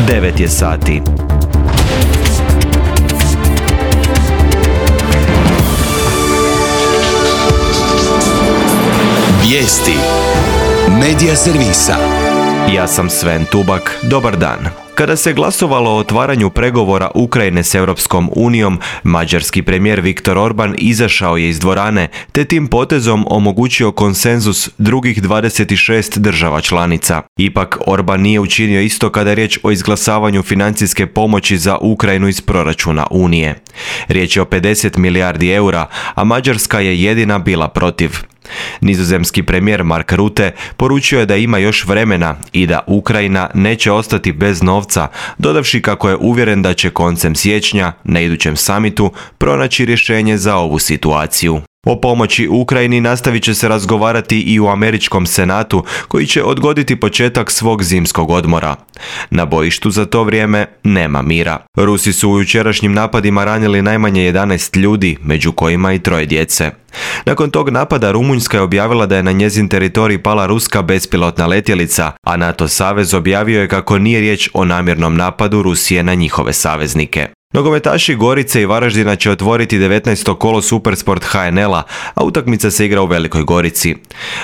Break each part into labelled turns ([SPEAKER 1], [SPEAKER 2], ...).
[SPEAKER 1] 9 je sati.
[SPEAKER 2] Vijesti Medija servisa.
[SPEAKER 1] Ja sam Sven Tubak, dobar dan. Kada se glasovalo o otvaranju pregovora Ukrajine s Europskom unijom, mađarski premijer Viktor Orban izašao je iz dvorane, te tim potezom omogućio konsenzus drugih 26 država članica. Ipak, Orban nije učinio isto kada je riječ o izglasavanju financijske pomoći za Ukrajinu iz proračuna Unije. Riječ je o 50 milijardi eura, a Mađarska je jedina bila protiv. Nizozemski premijer Mark Rutte poručio je da ima još vremena i da Ukrajina neće ostati bez novca, dodavši kako je uvjeren da će koncem siječnja, na idućem samitu, pronaći rješenje za ovu situaciju. O pomoći Ukrajini nastavit će se razgovarati i u američkom senatu, koji će odgoditi početak svog zimskog odmora. Na bojištu za to vrijeme nema mira. Rusi su u jučerašnjim napadima ranili najmanje 11 ljudi, među kojima i 3 djece. Nakon tog napada Rumunjska je objavila da je na njezin teritorij pala ruska bespilotna letjelica, a NATO savez objavio je kako nije riječ o namjernom napadu Rusije na njihove saveznike. Nogometaši Gorice i Varaždina će otvoriti 19. kolo Supersport HNL-a, a utakmica se igra u Velikoj Gorici.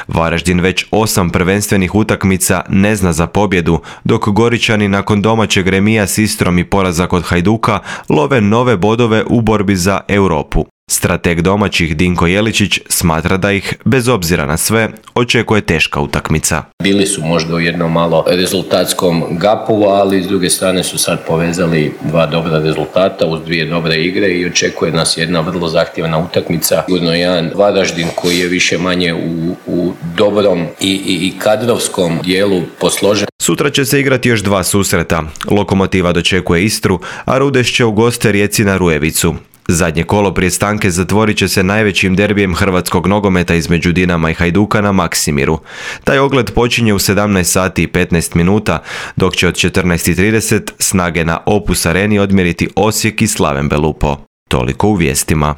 [SPEAKER 1] Varaždin već 8 prvenstvenih utakmica ne zna za pobjedu, dok Goričani nakon domaćeg remija s Istrom i poraza kod Hajduka love nove bodove u borbi za Europu. Strateg domaćih Dinko Jeličić smatra da ih, bez obzira na sve, očekuje teška utakmica.
[SPEAKER 3] Bili su možda u jednom malo rezultatskom gapu, ali s druge strane su sad povezali 2 dobra rezultata uz 2 dobre igre i očekuje nas jedna vrlo zahtjevna utakmica. Sigurno jedan Varaždin koji je više manje u dobrom i kadrovskom dijelu posložen.
[SPEAKER 1] Sutra će se igrati još 2 susreta. Lokomotiva dočekuje Istru, a Rudeš će u goste Rijeci na Rujevicu. Zadnje kolo prije stanke zatvorit će se najvećim derbijem hrvatskog nogometa između Dinama i Hajduka na Maksimiru. Taj ogled počinje u 17 sati i 15 minuta, dok će od 14:30 snage na Opus Areni odmjeriti Osijek i Slaven Belupo. Toliko u vijestima.